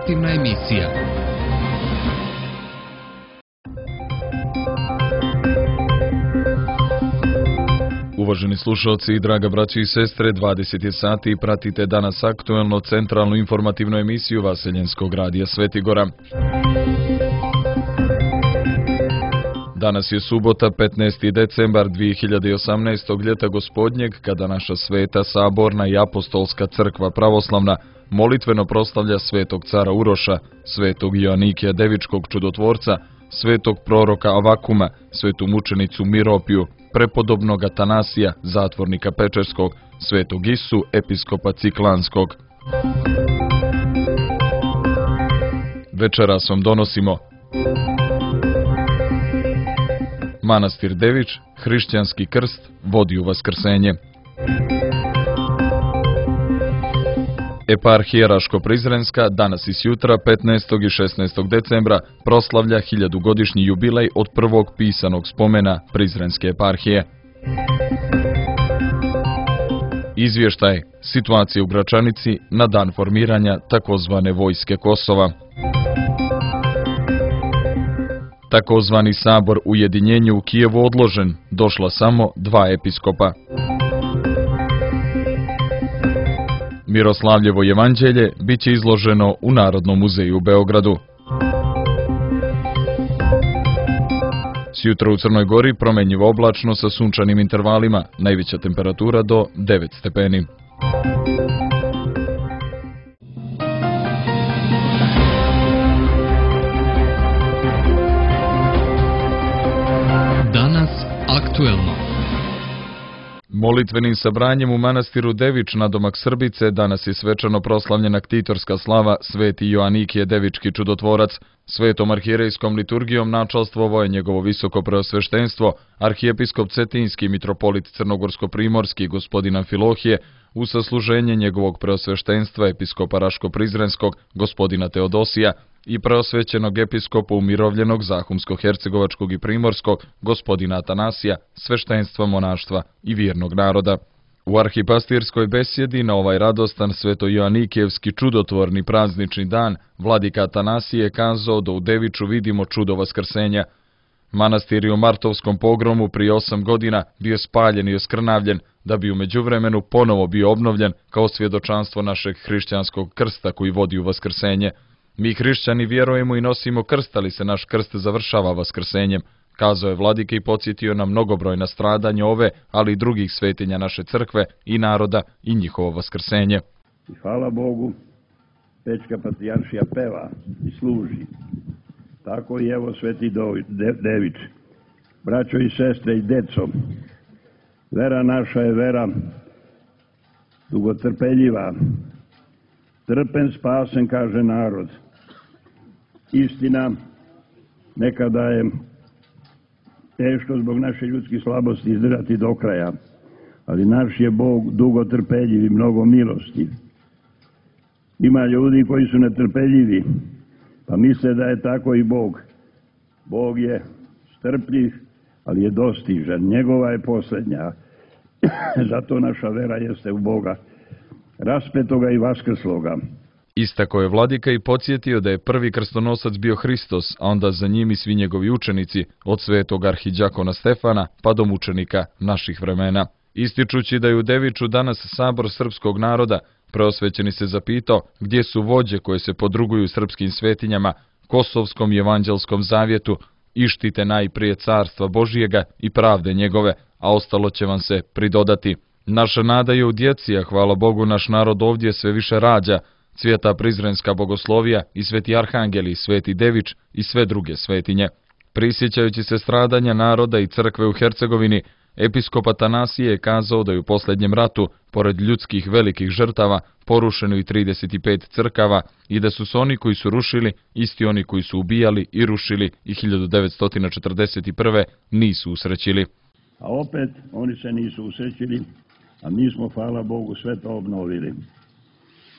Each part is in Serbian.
informativna emisija. Uvaženi slušalci i draga braći i sestre, 20 je sati i pratite danas aktuelno centralnu informativnu emisiju Vaseljenskog radija Svetigora. Danas je subota, 15. decembar 2018. ljeta gospodnjeg, kada naša sveta, saborna i apostolska crkva pravoslavna molitveno proslavlja svetog cara Uroša, svetog Joanikija Devičkog čudotvorca, svetog proroka Avakuma, svetu mučenicu Miropiju, prepodobnog Atanasija, zatvornika Pečerskog, svetog Isu, episkopa Ciklanskog. Večeras vam donosimo Manastir Devič, hrišćanski krst vodi u vaskrsenje. Eparhija Raško-Prizrenska danas i sjutra 15. i 16. decembra proslavlja 1000-godišnji jubilej od prvog pisanog spomena Prizrenske eparhije. Izvještaj situacije u Gračanici na dan formiranja takozvane vojske Kosova. Takozvani sabor ujedinjenja u Kijevu odložen, došla samo 2 episkopa. Miroslavljevo evanđelje bit će izloženo u Narodnom muzeju u Beogradu. Sjutra u Crnoj Gori promenjivo oblačno sa sunčanim intervalima, najveća temperatura do 9 stepeni. Danas aktuelno. Molitvenim sabranjem u manastiru Devič na domak Srbice danas je svečano proslavljena ktitorska slava sveti Joanikije Devički čudotvorac. Svetom arhijerejskom liturgijom načalstvovao je njegovo visoko preosveštenstvo, arhijepiskop Cetinski, mitropolit Crnogorsko-primorski gospodin Amfilohije, u sasluženje njegovog preosveštenstva episkopa Raško-Prizrenskog gospodina Teodosija i preosvećenog episkopa umirovljenog Zahumsko-hercegovačkog i primorskog gospodina Atanasija, sveštenstva monaštva i vjernog naroda. U arhipastirskoj besjedi na ovaj radostan sveto-joanikijevski čudotvorni praznični dan vladika Atanasije je kazao da u Deviču vidimo čudo vaskrsenja. Manastir je u martovskom pogromu prije 8 godina bio spaljen i oskrnavljen, da bi u međuvremenu ponovo bio obnovljen kao svjedočanstvo našeg hrišćanskog krsta koji vodi u vaskrsenje. Mi hrišćani vjerujemo i nosimo krst, ali se naš krst završava vaskrsenjem, kazao je vladika i podsjetio na mnogobrojna stradanja ove, ali i drugih svetinja naše crkve i naroda i njihovo vaskrsenje. I hvala Bogu, Pečka patrijaršija peva i služi. Tako i evo sveti Devič. Braćo i sestre i deco, vera naša je vera dugotrpeljiva. Trpen spasen, kaže narod. Istina, nekada je teško zbog naše ljudske slabosti izdržati do kraja, ali naš je Bog dugotrpeljiv i mnogo milosti. Ima ljudi koji su netrpeljivi, pa misle da je tako i Bog. Bog je strpljiv, ali je dostižan. Njegova je posljednja. Zato naša vera jeste u Boga, raspetoga i vaskrsloga. Istako je vladika i podsjetio da je prvi krstonosac bio Hristos, a onda za njim i svi njegovi učenici, od svetog arhidjakona Stefana pa do mučenika naših vremena. Ističući da je u Deviču danas sabor srpskog naroda, preosvećeni se zapitao gdje su vođe koje se podruguju srpskim svetinjama, kosovskom i evanđelskom zavjetu i štite najprije carstva Božijega i pravde njegove, a ostalo će vam se pridodati. Naša nada je u djeci, a hvala Bogu naš narod ovdje sve više rađa, Sveta Prizrenska bogoslovija i sveti arhangeli i sveti Devič i sve druge svetinje. Prisjećajući se stradanja naroda i crkve u Hercegovini, episkop Atanasije je kazao da je u posljednjem ratu, pored ljudskih velikih žrtava, porušeno i 35 crkava i da su se oni koji su rušili, isti oni koji su ubijali i rušili i 1941. nisu usrećili. A opet oni se nisu usrećili, a mi smo, hvala Bogu, sve to obnovili.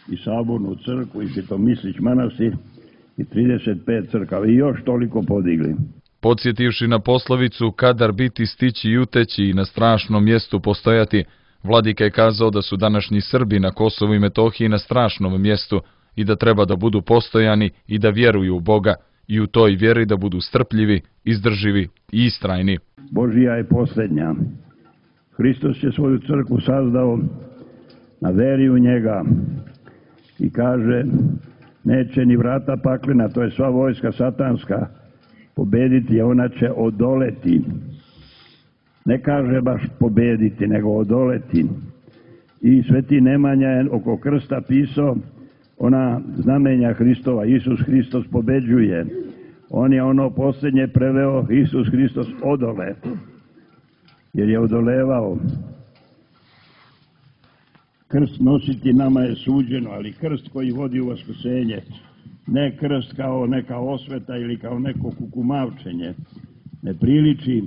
I sabornu crkvu, i Svetomislić manastir, i 35 crkava, i još toliko podigli. Podsjetivši na poslovicu kadar biti, stići i uteći i na strašnom mjestu postojati, vladika je kazao da su današnji Srbi na Kosovu i Metohiji na strašnom mjestu i da treba da budu postojani i da vjeruju u Boga i u toj vjeri da budu strpljivi, izdrživi i istrajni. Božija je posljednja. Hristos je svoju crkvu sazdao na veri u njega i kaže neće ni vrata paklena, to je sva vojska satanska, pobediti, a ona će odoleti. Ne kaže baš pobediti, nego odoleti. I sveti Nemanja je oko krsta pisao ona znamenja Hristova. Isus Hristos pobeđuje. On je ono posljednje preveo, Isus Hristos odole, jer je odolevao. Krst nositi nama je suđeno, ali krst koji vodi u vaskrsenje, ne krst kao neka osveta ili kao neko kukumavčenje, ne priliči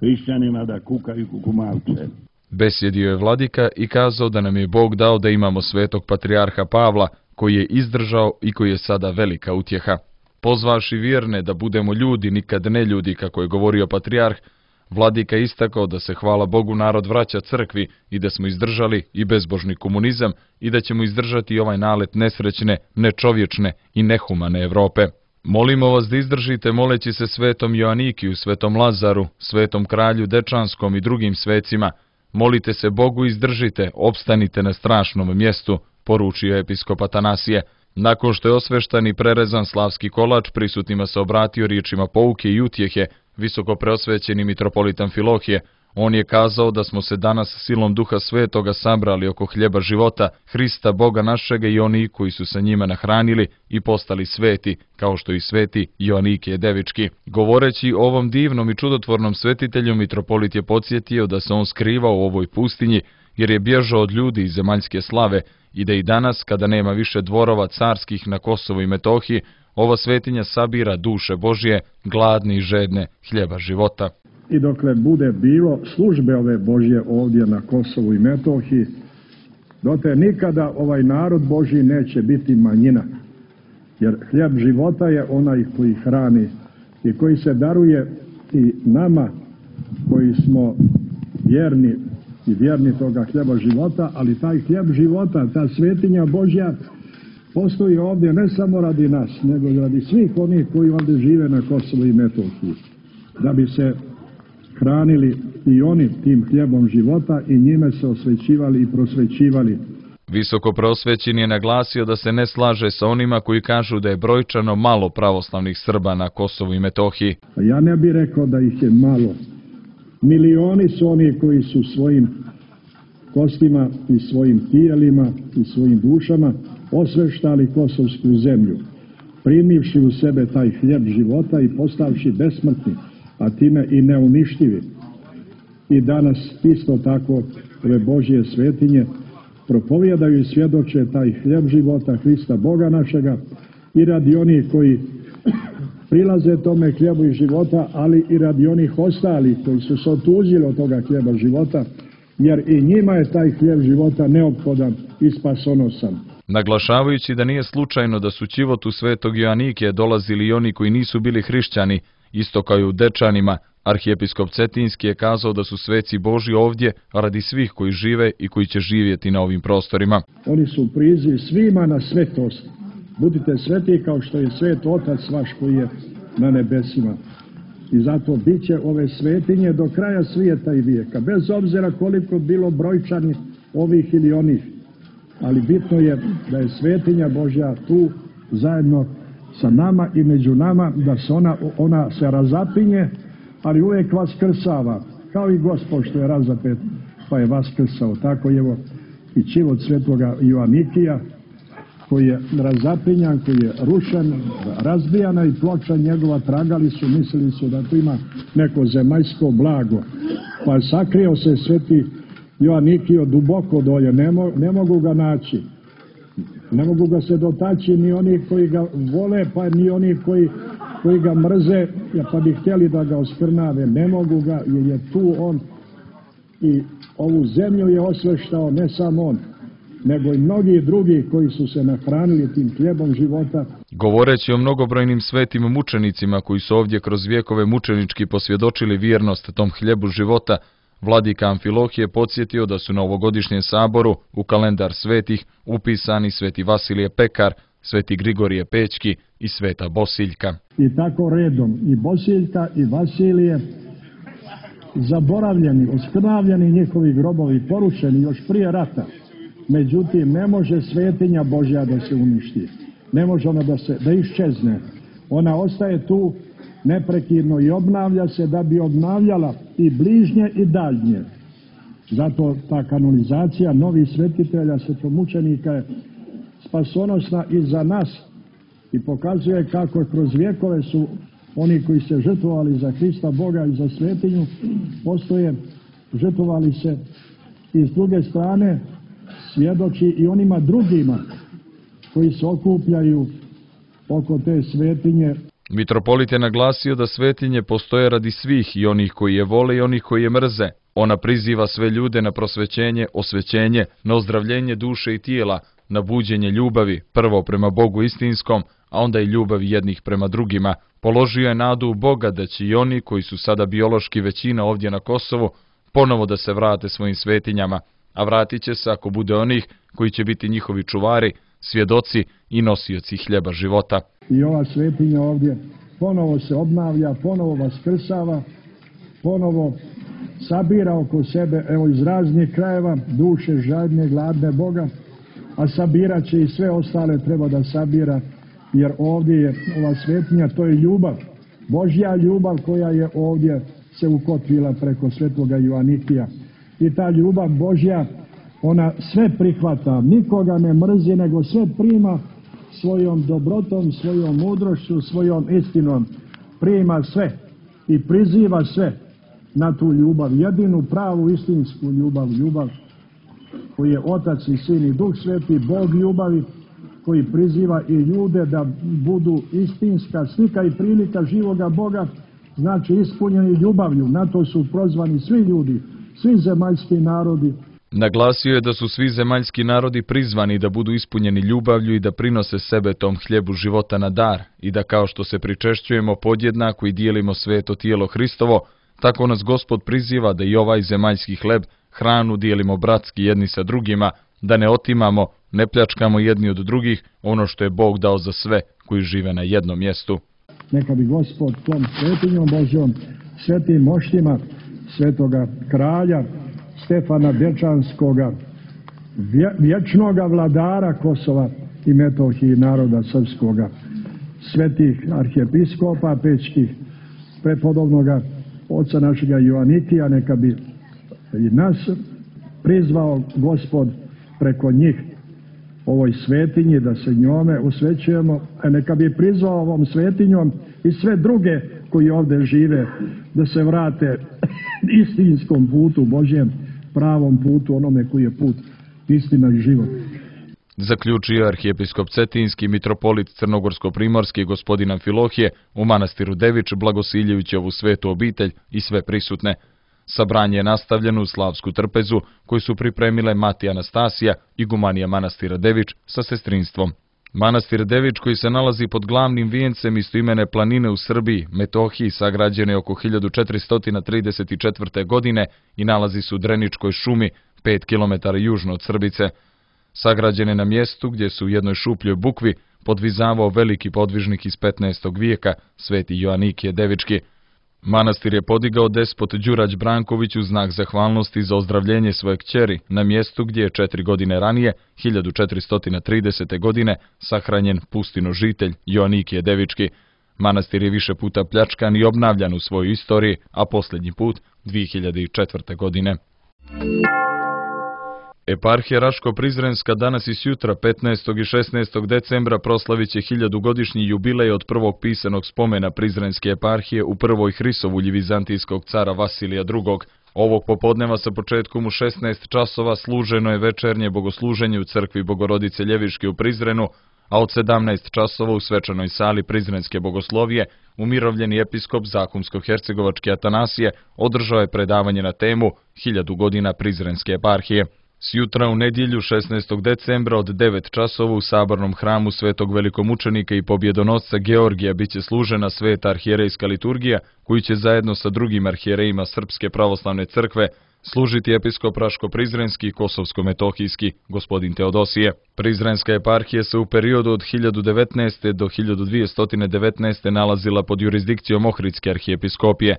hrišćanima da kukaju kukumavče. Besjedio je vladika i kazao da nam je Bog dao da imamo svetog patrijarha Pavla, koji je izdržao i koji je sada velika utjeha. Pozvaši vjerne da budemo ljudi, nikad ne ljudi, kako je govorio patrijarh, vladika istakao da se, hvala Bogu, narod vraća crkvi i da smo izdržali i bezbožni komunizam i da ćemo izdržati i ovaj nalet nesrećne, nečovječne i nehumane Evrope. Molimo vas da izdržite moleći se svetom Joanikiju, svetom Lazaru, svetom kralju Dečanskom i drugim svecima. Molite se Bogu i izdržite, opstanite na strašnom mjestu, poručio episkop Atanasije. Nakon što je osveštan i prerezan slavski kolač, prisutnima se obratio riječima pouke i utjehe, visoko preosvećeni mitropolit Amfilohije. On je kazao da smo se danas silom Duha Svetoga sabrali oko hljeba života, Hrista Boga našega i oni koji su sa njima nahranili i postali sveti, kao što i sveti Joanikije Devički. Govoreći o ovom divnom i čudotvornom svetitelju, mitropolit je podsjetio da se on skrivao u ovoj pustinji, jer je bježao od ljudi iz zemaljske slave i da i danas, kada nema više dvorova carskih na Kosovu i Metohiji, ova svetinja sabira duše Božje, gladne i žedne hljeba života. I dokle bude bilo službe ove Božje ovdje na Kosovu i Metohiji, dotle nikada ovaj narod Božji neće biti manjina. Jer hljeb života je onaj koji hrani i koji se daruje i nama koji smo vjerni i vjerni toga hljeba života, ali taj hljeb života, ta svetinja Božja postoji ovdje ne samo radi nas, nego radi svih onih koji ovdje žive na Kosovu i Metohiji, da bi se hranili i oni tim hljebom života i njime se osvećivali i prosvećivali. Visoko preosvećen je naglasio da se ne slaže sa onima koji kažu da je brojčano malo pravoslavnih Srba na Kosovu i Metohiji. Ja ne bih rekao da ih je malo. Milioni su oni koji su svojim kostima i svojim tijelima i svojim dušama osveštali kosovsku zemlju, primivši u sebe taj hljeb života i postavši besmrtni, a time i neuništivi. I danas isto tako ove Božje svetinje propovijedaju i svjedoče taj hljeb života Hrista Boga našega i radi onih koji prilaze tome hljebu i života, ali i radi onih ostalih koji su se otuđili od toga hljeba života, jer i njima je taj hljeb života neophodan i spasonosan. Naglašavajući da nije slučajno da su ćivotu svetog Joanikije dolazili i oni koji nisu bili hrišćani, isto kao i u Dečanima, arhijepiskop Cetinski je kazao da su sveci Božji ovdje radi svih koji žive i koji će živjeti na ovim prostorima. Oni su priziv svima na svetost. Budite sveti kao što je svet Otac vaš koji je na nebesima. I zato bit će ove svetinje do kraja svijeta i vijeka, bez obzira koliko bilo brojčani ovih ili onih. Ali bitno je da je svetinja Božja tu zajedno sa nama i među nama, da se ona se razapinje, ali uvijek vaskrsava, kao i Gospod što je razapet, pa je vaskrsao. Tako je i ćivot svetoga Joanikija, koji je razapinjan, koji je rušen, razbijana i ploča njegova, tragali su, mislili su da tu ima neko zemaljsko blago. Pa sakrio se sveti Joanikio duboko dolje, ne mogu ga naći. Ne mogu ga se dotaći ni oni koji ga vole, pa ni oni koji ga mrze, pa bi htjeli da ga oskrnave. Ne mogu ga, jer je tu on i ovu zemlju je osveštao, ne samo on, nego i mnogi drugi koji su se nahranili tim hljebom života. Govoreći o mnogobrojnim svetim mučenicima koji su ovdje kroz vjekove mučenički posvjedočili vjernost tom hljebu života, Vladika Amfilohije podsjetio da su na ovogodišnjem saboru u kalendar svetih upisani sveti Vasilije Pekar, sveti Grigorije Pećki i sveta Bosiljka. I tako redom, i Bosiljka i Vasilije, zaboravljeni, oskrnavljeni njihovi grobovi, porušeni još prije rata. Međutim, ne može svetinja Božja da se uništi. Ne može ona da iščezne. Ona ostaje tu neprekidno i obnavlja se da bi obnavljala i bližnje i daljnje. Zato ta kanonizacija novih svetitelja, svetomučenika je spasonosna i za nas i pokazuje kako kroz vjekove su oni koji se žrtvovali za Hrista Boga i za svetinju, postoje, žrtvovali se i s druge strane svjedoči i onima drugima koji se okupljaju oko te svetinje. Mitropolit je naglasio da svetinje postoje radi svih, i onih koji je vole i onih koji je mrze. Ona priziva sve ljude na prosvećenje, osvećenje, na ozdravljenje duše i tijela, na buđenje ljubavi, prvo prema Bogu istinskom, a onda i ljubavi jednih prema drugima. Položio je nadu u Boga da će i oni koji su sada biološki većina ovdje na Kosovu ponovo da se vrate svojim svetinjama, a vratit će se ako bude onih koji će biti njihovi čuvari, svjedoci i nosioci hljeba života. I ova svetinja ovdje ponovo se obnavlja, ponovo vaskrsava, ponovo sabira oko sebe, evo iz raznih krajeva, duše žadne, gladne Boga, a sabirat će i sve ostale treba da sabira, jer ovdje je ova svetinja, to je ljubav, Božja ljubav koja je ovdje se ukotvila preko svetoga Joanikija. I ta ljubav Božja, ona sve prihvata, nikoga ne mrzi, nego sve prima svojom dobrotom, svojom mudrošću, svojom istinom. Prima sve i priziva sve na tu ljubav, jedinu pravu istinsku ljubav, ljubav koji je Otac i Sin i Duh Sveti, Bog ljubavi, koji priziva i ljude da budu istinska slika i prilika živoga Boga, znači ispunjeni ljubavlju. Na to su prozvani svi ljudi, svi zemaljski narodi. Naglasio je da su svi zemaljski narodi prizvani da budu ispunjeni ljubavlju i da prinose sebe tom hljebu života na dar, i da kao što se pričešćujemo podjednako i dijelimo sveto tijelo Hristovo, tako nas Gospod priziva da i ovaj zemaljski hleb, hranu dijelimo bratski jedni sa drugima, da ne otimamo, ne pljačkamo jedni od drugih ono što je Bog dao za sve koji žive na jednom mjestu. Neka bi Gospod tom svetinjom Božjom, svetim moštima svetoga kralja Stefana Dečanskoga, vječnoga vladara Kosova i Metohije naroda srpskoga, svetih arhijepiskopa pećkih, prepodobnoga oca našega Joanikija, neka bi i nas prizvao Gospod preko njih ovoj svetinji, da se njome usvećujemo, a neka bi prizvao ovom svetinjom i sve druge koji ovdje žive da se vrate istinskom putu, Božjem pravom putu, onome koji je put istina i život. Zaključio arhijepiskop Cetinski, mitropolit Crnogorsko-primorski gospodin Amfilohije u manastiru Devič, blagosiljujući ovu svetu obitelj i sve prisutne. Sabranje je nastavljeno u slavsku trpezu koju su pripremile mati Anastasija, igumanija manastira Devič sa sestrinstvom. Manastir Devič, koji se nalazi pod glavnim vijencem istoimene planine u Srbiji, Metohiji, sagrađen je oko 1434. godine i nalazi se u Dreničkoj šumi, 5 km južno od Srbice. Sagrađen je na mjestu gdje su u jednoj šupljoj bukvi podvizavao veliki podvižnik iz 15. vijeka, sveti Joanikije Devički. Manastir je podigao despot Đurać Branković u znak zahvalnosti za ozdravljenje svoje kćeri na mjestu gdje je 4 godine ranije, 1430. godine, sahranjen pustinožitelj Joanikije Devički. Manastir je više puta pljačkan i obnavljan u svojoj istoriji, a posljednji put 2004. godine. Eparhija Raško-Prizrenska danas i sutra, 15. i 16. decembra, proslavit će 1000-godišnji jubilej od prvog pisanog spomena Prizrenske eparhije u prvoj Hrisovulji vizantijskog cara Vasilija II. Ovog popodneva sa početkom u 16 časova služeno je večernje bogosluženje u crkvi Bogorodice Ljeviške u Prizrenu, a od 17 časova u svečanoj sali Prizrenske bogoslovije umirovljeni episkop Zakumsko-hercegovački Atanasije održao je predavanje na temu 1000 godina Prizrenske eparhije. Sjutra u nedjelju 16. decembra od 9 časova u sabornom hramu svetog velikomučenika i pobjedonosca Georgija biće služena sveta arhijerejska liturgija, koju će zajedno sa drugim arhijerejima Srpske pravoslavne crkve služiti episkop Raško-Prizrenski i Kosovsko-Metohijski, gospodin Teodosije. Prizrenska eparhija se u periodu od 1019. do 1219. nalazila pod jurisdikcijom Ohridske arhijepiskopije.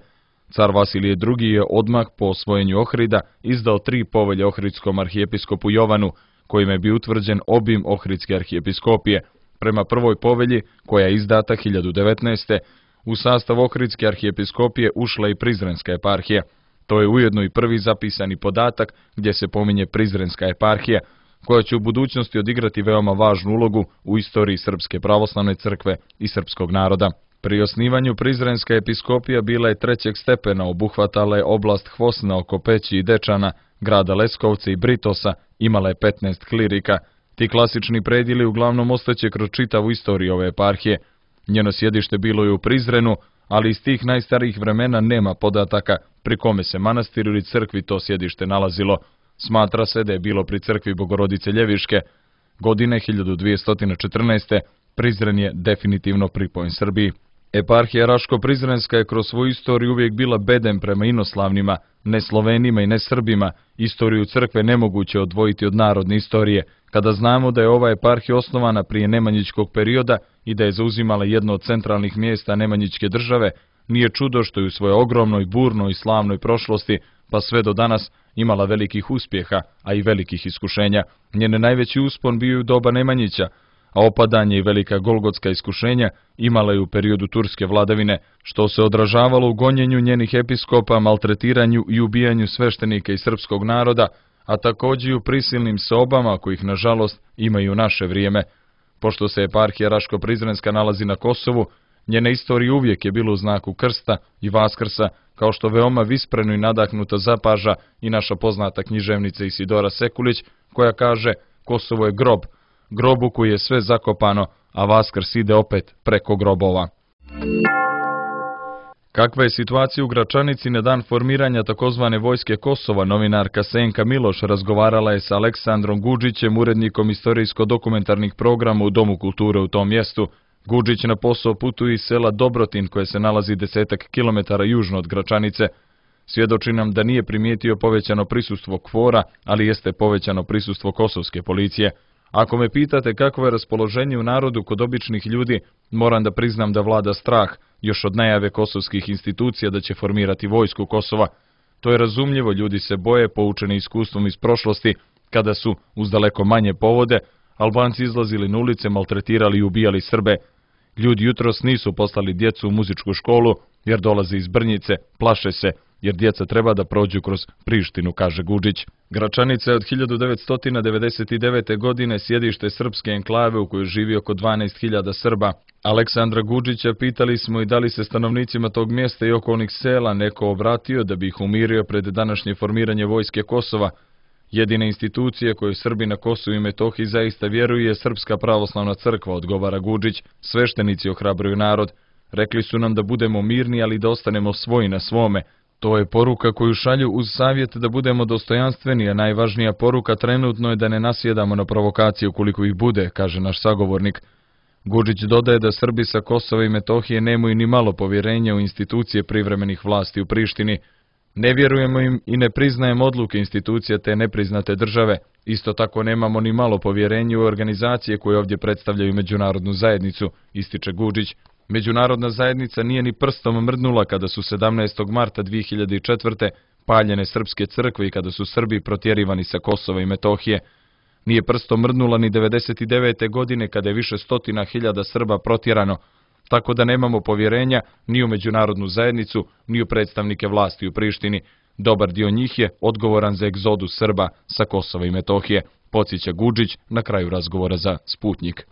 Car Vasilije II. Je odmah po osvojenju Ohrida izdao 3 povelje ohridskom arhijepiskopu Jovanu, kojima je bio utvrđen obim Ohridske arhijepiskopije. Prema prvoj povelji, koja je izdata 1019. u sastav Ohridske arhijepiskopije ušla i Prizrenska eparhija. To je ujedno i prvi zapisani podatak gdje se pominje Prizrenska eparhija, koja će u budućnosti odigrati veoma važnu ulogu u istoriji Srpske pravoslavne crkve i srpskog naroda. Pri osnivanju Prizrenska episkopija bila je 3. stepena, obuhvatala je oblast Hvosna oko Peći i Dečana, grada Leskovca i Britosa, imala je 15 klirika. Ti klasični predjeli uglavnom ostaće kroz čitavu istoriju ove eparhije. Njeno sjedište bilo je u Prizrenu, ali iz tih najstarijih vremena nema podataka pri kome se manastiru ili crkvi to sjedište nalazilo. Smatra se da je bilo pri crkvi Bogorodice Ljeviške. Godine 1214. Prizren je definitivno pripojen Srbiji. Eparhija Raško-Prizrenska je kroz svoju istoriju uvijek bila bedem prema inoslavnima, ne Slovenima i ne Srbima. Istoriju crkve nemoguće odvojiti od narodne istorije. Kada znamo da je ova eparhija osnovana prije nemanjićkog perioda i da je zauzimala jedno od centralnih mjesta nemanjićke države, nije čudo što je u svojoj ogromnoj, burnoj i slavnoj prošlosti, pa sve do danas, imala velikih uspjeha, a i velikih iskušenja. Njene najveći uspon bio je u doba Nemanjića, a opadanje i velika golgotska iskušenja imala je u periodu turske vladavine, što se odražavalo u gonjenju njenih episkopa, maltretiranju i ubijanju sveštenika i srpskog naroda, a također i u prisilnim sobama kojih nažalost ima i u naše vrijeme. Pošto se eparhija Raško-Prizrenska nalazi na Kosovu, njena istorija uvijek je bila u znaku krsta i vaskrsa, kao što veoma vispreno i nadahnuto zapaža i naša poznata književnica Isidora Sekulić, koja kaže: Kosovo je grob, grob u koji je sve zakopano, a vaskrs ide opet preko grobova. Kakva je situacija u Gračanici na dan formiranja takozvane vojske Kosova, novinarka Senka Miloš razgovarala je sa Aleksandrom Gudžićem, urednikom istorijsko-dokumentarnih programa u Domu kulture u tom mjestu. Gudžić na posao putuje iz sela Dobrotin, koje se nalazi 10 kilometara južno od Gračanice. Svjedoči nam da nije primijetio povećano prisustvo KFOR-a, ali jeste povećano prisustvo kosovske policije. Ako me pitate kakvo je raspoloženje u narodu kod običnih ljudi, moram da priznam da vlada strah, još od najave kosovskih institucija da će formirati vojsku Kosova. To je razumljivo, ljudi se boje, poučeni iskustvom iz prošlosti, kada su, uz daleko manje povode, Albanci izlazili na ulice, maltretirali i ubijali Srbe. Ljudi jutros nisu poslali djecu u muzičku školu, jer dolaze iz Brnjice, plaše se, jer djeca treba da prođu kroz Prištinu, kaže Gudžić. Gračanica je od 1999. godine sjedište srpske enklave u kojoj živi oko 12.000 Srba. Aleksandra Gudžića pitali smo i da li se stanovnicima tog mjesta i okolnih sela neko obratio da bi ih umirio pred današnje formiranje vojske Kosova. Jedina institucija koju Srbi na Kosovu i Metohiji zaista vjeruju je Srpska pravoslavna crkva, odgovara Gudžić. Sveštenici ohrabruju narod. Rekli su nam da budemo mirni, ali da ostanemo svoji na svome. To je poruka koju šalju uz savjet da budemo dostojanstveni, a najvažnija poruka trenutno je da ne nasjedamo na provokacije ukoliko ih bude, kaže naš sagovornik. Gudžić dodaje da Srbi sa Kosova i Metohije nemaju ni malo povjerenja u institucije privremenih vlasti u Prištini. Ne vjerujemo im i ne priznajemo odluke institucija te nepriznate države. Isto tako nemamo ni malo povjerenja u organizacije koje ovdje predstavljaju međunarodnu zajednicu, ističe Gudžić. Međunarodna zajednica nije ni prstom mrdnula kada su 17. marta 2004. paljene srpske crkve i kada su Srbi protjerivani sa Kosova i Metohije. Nije prstom mrdnula ni 99. godine kada je više stotina hiljada Srba protjerano, tako da nemamo povjerenja ni u međunarodnu zajednicu, ni u predstavnike vlasti u Prištini. Dobar dio njih je odgovoran za egzodus Srba sa Kosova i Metohije, podsjeća Gudžić na kraju razgovora za Sputnjik.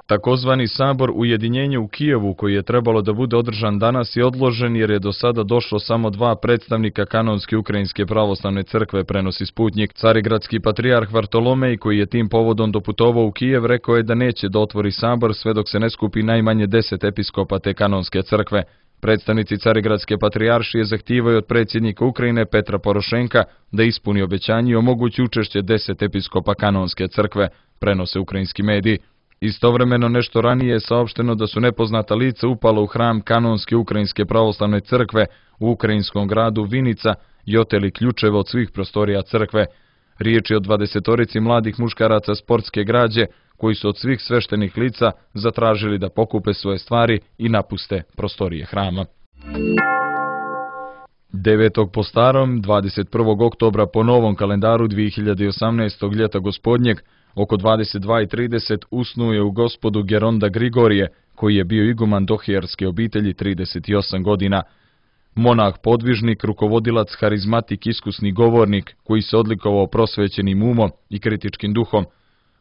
Takozvani sabor ujedinjenja u Kijevu, koji je trebalo da bude održan danas, je odložen jer je do sada došlo samo 2 predstavnika kanonske ukrajinske pravoslavne crkve, prenosi Sputnjik. Carigradski patrijarh Vartolomej, koji je tim povodom doputovao u Kijev, rekao je da neće da otvori sabor sve dok se ne skupi najmanje 10 episkopa te kanonske crkve. Predstavnici Carigradske patrijaršije zahtijevaju od predsjednika Ukrajine Petra Porošenka da ispuni obećanje i omogući učešće 10 episkopa kanonske crkve, prenose ukrajinski mediji. Istovremeno nešto ranije je saopšteno da su nepoznata lica upala u hram kanonske Ukrajinske pravoslavne crkve u ukrajinskom gradu Vinica i oteli ključeve od svih prostorija crkve. Riječ je o 20 mladih muškaraca sportske građe koji su od svih sveštenih lica zatražili da pokupe svoje stvari i napuste prostorije hrama. 9. po starom, 21. oktobra po novom kalendaru 2018. ljeta gospodnjeg, oko 22:30 usnuo je u Gospodu Geronda Grigorije, koji je bio iguman dohijarske obitelji 38 godina. Monah podvižnik, rukovodilac, harizmatik, iskusni govornik, koji se odlikovao prosvećenim umom i kritičkim duhom,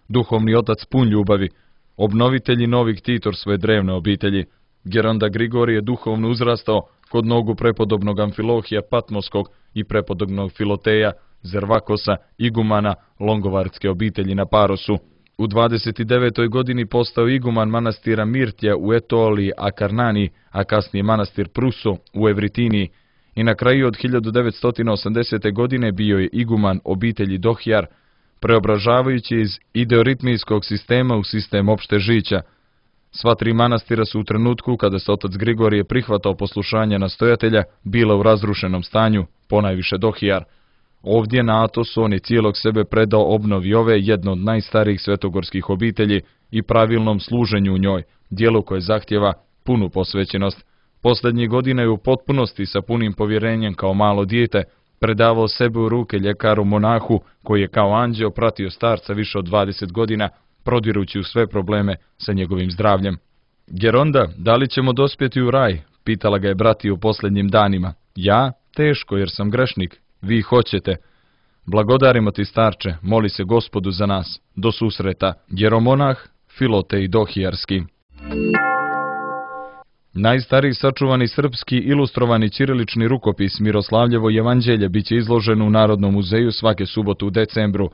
duhovni otac pun ljubavi, obnovitelj i novi ktitor svoje drevne obitelji. Geronda Grigorije je duhovno uzrastao kod nogu prepodobnog Amfilohija Patmoskog i prepodobnog Filoteja Zervakosa, igumana Longovarske obitelji na Parosu. U 29. godini postao iguman manastira Mirtja u Etoliji Akarnani, a kasnije manastir Pruso u Evritiniji. I na kraju od 1980. godine bio je iguman obitelji Dohjar, preobražavajući iz ideoritmijskog sistema u sistem opšte žića. Sva tri manastira su u trenutku kada se otac Grigorije prihvatao poslušanja nastojatelja bila u razrušenom stanju, ponajviše Dohjar. Ovdje na Atosu on je cijelog sebe predao obnovi ove jedno od najstarijih svetogorskih obitelji i pravilnom služenju u njoj, dijelu koje zahtjeva punu posvećenost. Posljednjih godina je u potpunosti sa punim povjerenjem kao malo dijete predavao sebe u ruke ljekaru monahu koji je kao anđeo pratio starca više od 20 godina, prodirući u sve probleme sa njegovim zdravljem. Geronda, da li ćemo dospjeti u raj? Pitala ga je bratija u posljednjim danima. Ja? Teško, jer sam grešnik. Vi hoćete. Blagodarimo ti, starče, moli se Gospodu za nas. Do susreta. Jeromonah, Filotej Dohijarski. Najstariji sačuvani srpski ilustrovani ćirilični rukopis Miroslavljevo evanđelje biće izloženo u Narodnom muzeju svake subote u decembru.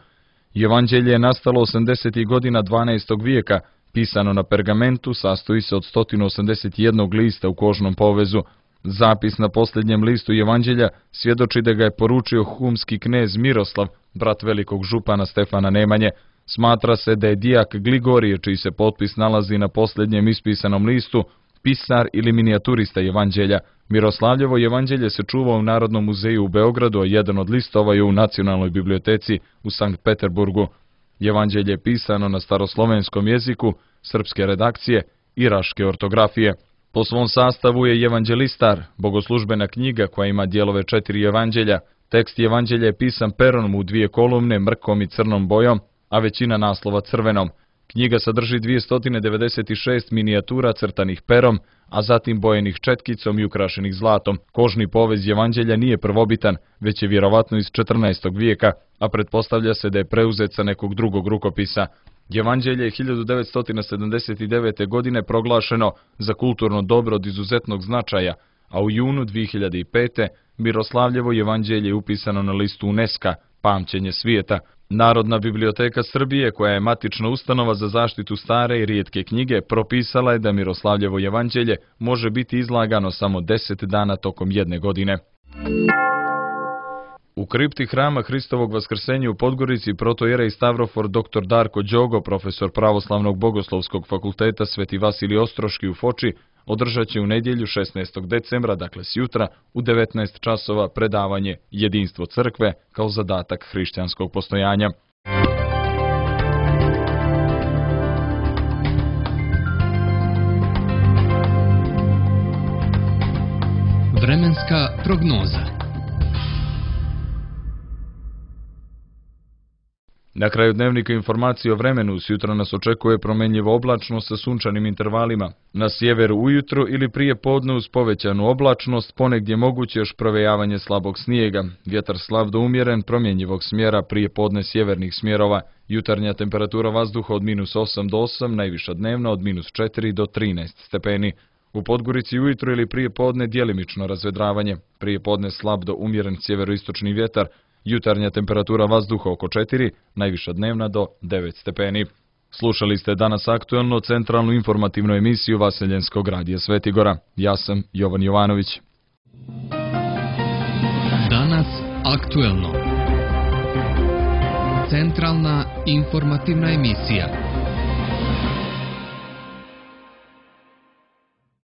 Evanđelje je nastalo 80. godina 12. vijeka, pisano na pergamentu, sastoji se od 181 lista u kožnom povezu. Zapis na posljednjem listu evanđelja svjedoči da ga je poručio humski knez Miroslav, brat velikog župana Stefana Nemanje. Smatra se da je dijak Gligorije, čiji se potpis nalazi na posljednjem ispisanom listu, pisar ili minijaturista evanđelja. Miroslavljevo evanđelje se čuva u Narodnom muzeju u Beogradu, a jedan od listova je u Nacionalnoj biblioteci u Sankt Peterburgu. Evanđelje je pisano na staroslovenskom jeziku, srpske redakcije i raške ortografije. Po svom sastavu je evanđelistar, bogoslužbena knjiga koja ima dijelove 4 evanđelja. Tekst evanđelja je pisan perom u 2 kolumne, mrkom i crnom bojom, a većina naslova crvenom. Knjiga sadrži 296 minijatura crtanih perom, a zatim bojenih četkicom i ukrašenih zlatom. Kožni povez evanđelja nije prvobitan, već je vjerovatno iz 14. vijeka, a pretpostavlja se da je preuzet sa nekog drugog rukopisa. Evanđelje je 1979. godine proglašeno za kulturno dobro od izuzetnog značaja, a u junu 2005. Miroslavljevo evanđelje je upisano na listu UNESCO, pamćenje svijeta. Narodna biblioteka Srbije, koja je matična ustanova za zaštitu stare i rijetke knjige, propisala je da Miroslavljevo evanđelje može biti izlagano samo 10 dana tokom jedne godine. U kripti hrama Hristovog vaskrsenja u Podgorici protojerej Stavrofor dr. Darko Đogo, profesor Pravoslavnog bogoslovskog fakulteta Sveti Vasilij Ostroški u Foči, održat će u nedjelju 16. decembra, dakle sjutra, u 19 časova predavanje Jedinstvo crkve kao zadatak hrišćanskog postojanja. Vremenska prognoza. Na kraju dnevnika informacije o vremenu, sutra nas očekuje promjenjivo oblačnost sa sunčanim intervalima. Na sjeveru ujutro ili prije podne uz povećanu oblačnost, ponegdje moguće još provejavanje slabog snijega. Vjetar slab do umjeren, promjenjivog smjera, prije podne sjevernih smjerova. Jutarnja temperatura vazduha od -8 do 8, najviša dnevna od -4 do 13 stepeni. U Podgorici ujutro ili prije podne djelimično razvedravanje. Prije podne slab do umjeren sjeveroistočni vjetar. Jutarnja temperatura vazduha oko 4, najviša dnevna do 9 stepeni. Slušali ste danas aktuelno centralnu informativnu emisiju Vaseljenskog radija Svetigora. Ja sam Jovan Jovanović. Danas aktuelno. Centralna informativna emisija.